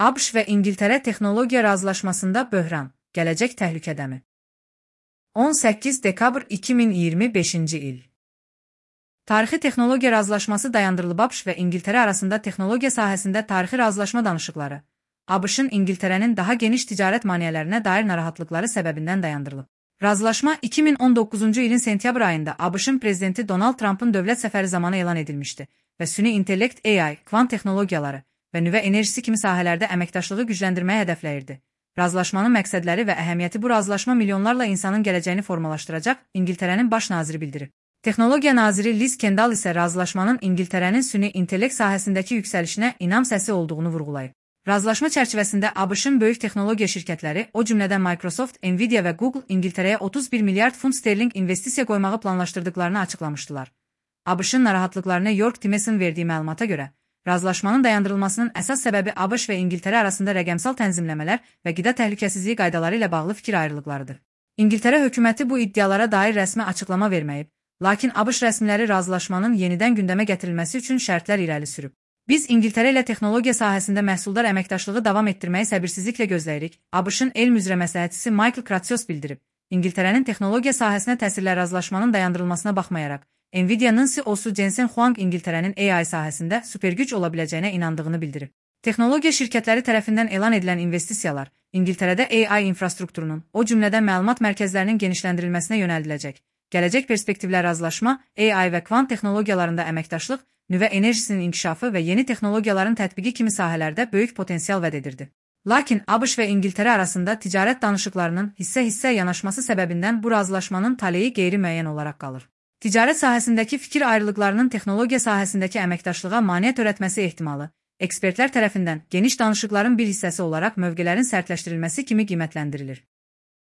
ABŞ və İngiltərə texnologiya razılaşmasında böhran, gələcək təhlükədəmi? 18 dekabr 2025-ci il. Tarixi texnologiya razılaşması dayandırılıb. ABŞ və İngiltərə arasında texnologiya sahəsində tarixi razılaşma danışıqları, ABŞ-ın İngiltərənin daha geniş ticarət maneələrinə dair narahatlıqları səbəbindən dayandırılıb. Razılaşma 2019-cu ilin sentyabr ayında ABŞ-ın prezidenti Donald Trump'ın dövlət səfəri zamanı elan edilmişdi və süni intellekt, AI, kvant texnologiyaları və nüvə enerjisi kimi sahələrdə əməkdaşlığı gücləndirməyə hədəfləyirdi. Razılaşmanın məqsədləri və əhəmiyyəti. Bu razılaşma milyonlarla insanın gələcəyini formalaşdıracaq, İngiltərənin baş naziri bildirib. Texnologiya naziri Liz Kendall isə razılaşmanın İngiltərənin süni intellekt sahəsindəki yüksəlişinə inam səsi olduğunu vurğulayıb. Razılaşma çərçivəsində ABŞ-ın böyük texnologiya şirkətləri, o cümlədən Microsoft, Nvidia və Google İngiltərəyə 31 milyard funt sterling investisiya qoymağı planlaşdırdıqlarını açıqlamışdılar. ABŞ-ın narahatlıqlarını New York Times'in verdiyi məlumata görə, razılaşmanın dayandırılmasının əsas səbəbi ABŞ və İngiltərə arasında rəqəmsal tənzimləmələr və qida təhlükəsizliyi qaydaları ilə bağlı fikir ayrılıqlarıdır. İngiltərə hökuməti bu iddialara dair rəsmi açıqlama verməyib, lakin ABŞ rəsmiləri razılaşmanın yenidən gündəmə gətirilməsi üçün şərtlər irəli sürüb. Biz İngiltərə ilə texnologiya sahəsində məhsuldar əməkdaşlığı davam etdirməyi səbirsizliklə gözləyirik, ABŞ-ın elm üzrə məsləhətçisi Michael Kratsios bildirib. İngiltərənin texnologiya sahəsinə təsirlə razılaşmanın dayandırılmasına baxmayaraq, Nvidia-nın CEO-su Jensen Huang İngiltərənin AI sahəsində supergüc ola biləcəyinə inandığını bildirib. Texnologiya şirkətləri tərəfindən elan edilən investisiyalar İngiltərədə AI infrastrukturunun, o cümlədən məlumat mərkəzlərinin genişləndirilməsinə yönəldiləcək. Gələcək perspektivlər razılaşma, AI və kvant texnologiyalarında əməkdaşlıq, nüvə enerjisinin inkişafı və yeni texnologiyaların tətbiqi kimi sahələrdə böyük potensial vəd edirdi. Lakin ABŞ və İngiltərə arasında ticarət danışıqlarının hissə-hissə yanaşması səbəbindən bu razılaşmanın taleyi qeyri-müəyyən olaraq qalır. Ticarət sahəsindəki fikir ayrılıqlarının texnologiya sahəsindəki əməkdaşlığa maneə törətməsi ehtimalı, ekspertlər tərəfindən geniş danışıqların bir hissəsi olaraq mövqelərin sərtləşdirilməsi kimi qiymətləndirilir.